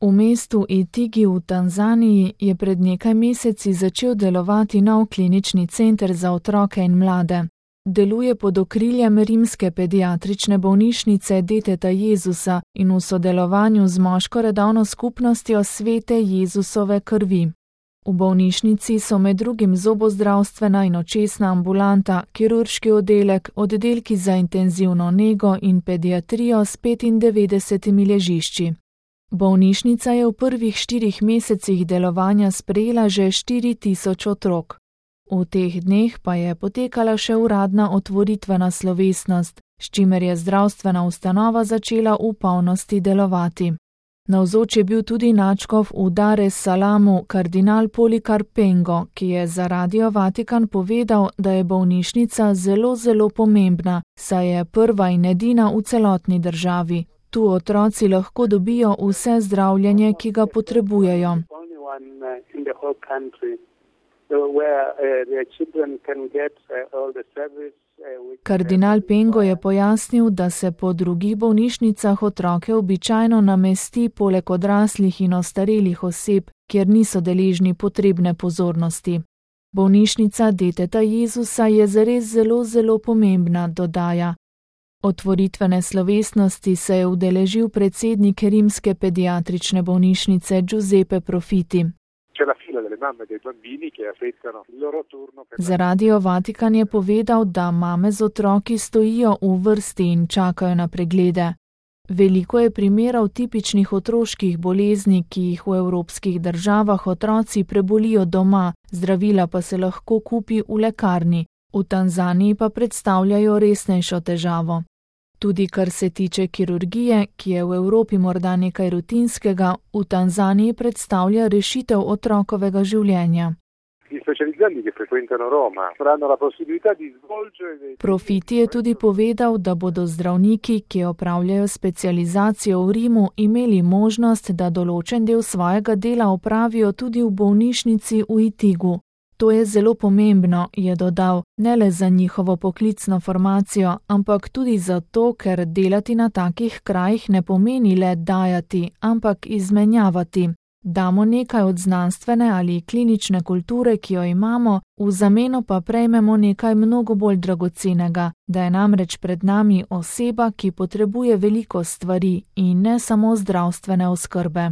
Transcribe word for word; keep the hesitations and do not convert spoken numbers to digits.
V mestu Itigi v Tanzaniji je pred nekaj meseci začel delovati nov klinični center za otroke in mlade. Deluje pod okriljem rimske pediatrične bolnišnice Deteta Jezusa in v sodelovanju z moško redovno skupnostjo Svete Jezusove krvi. V bolnišnici so med drugim zobozdravstvena in očesna ambulanta, kirurški oddelek, oddelki za intenzivno nego in pediatrijo s petindevetdesetimi ležišči. Bolnišnica je v prvih štirih mesecih delovanja sprejela že štiri tisoč otrok. V teh dneh pa je potekala še uradna otvoritvena slovesnost, s čimer je zdravstvena ustanova začela v polnosti delovati. Navzoč je bil tudi nadškof v Dar es Salamu kardinal Polikarp Pengo, ki je za Radio Vatikan povedal, da je bolnišnica zelo, zelo pomembna, saj je prva in edina v celotni državi. Tu otroci lahko dobijo vse zdravljenje, ki ga potrebujejo. Kardinal Pengo je pojasnil, da se po drugih bolnišnicah otroke običajno namesti poleg odraslih in ostarelih oseb, kjer niso deležni potrebne pozornosti. Bolnišnica Deteta Jezusa je zares zelo, zelo pomembna, dodaja. Otvoritvene slovesnosti se je udeležil predsednik rimske pediatrične bolnišnice Giuseppe Profiti. Za Radio Vatikan je povedal, da mame z otroki stojijo v vrsti in čakajo na preglede. Veliko je primerov tipičnih otroških bolezni, ki jih v evropskih državah otroci prebolijo doma, zdravila pa se lahko kupi v lekarni. V Tanzaniji pa predstavljajo resnejšo težavo. Tudi kar se tiče kirurgije, ki je v Evropi morda nekaj rutinskega, v Tanzaniji predstavlja rešitev otrokovega življenja. Profiti je tudi povedal, da bodo zdravniki, ki opravljajo specializacijo v Rimu, imeli možnost, da določen del svojega dela opravijo tudi v bolnišnici v Itigu. To je zelo pomembno, je dodal, ne le za njihovo poklicno formacijo, ampak tudi zato, ker delati na takih krajih ne pomeni le dajati, ampak izmenjavati. Damo nekaj od znanstvene ali klinične kulture, ki jo imamo, v zameno pa prejmemo nekaj mnogo bolj dragocenega, da je namreč pred nami oseba, ki potrebuje veliko stvari in ne samo zdravstvene oskrbe.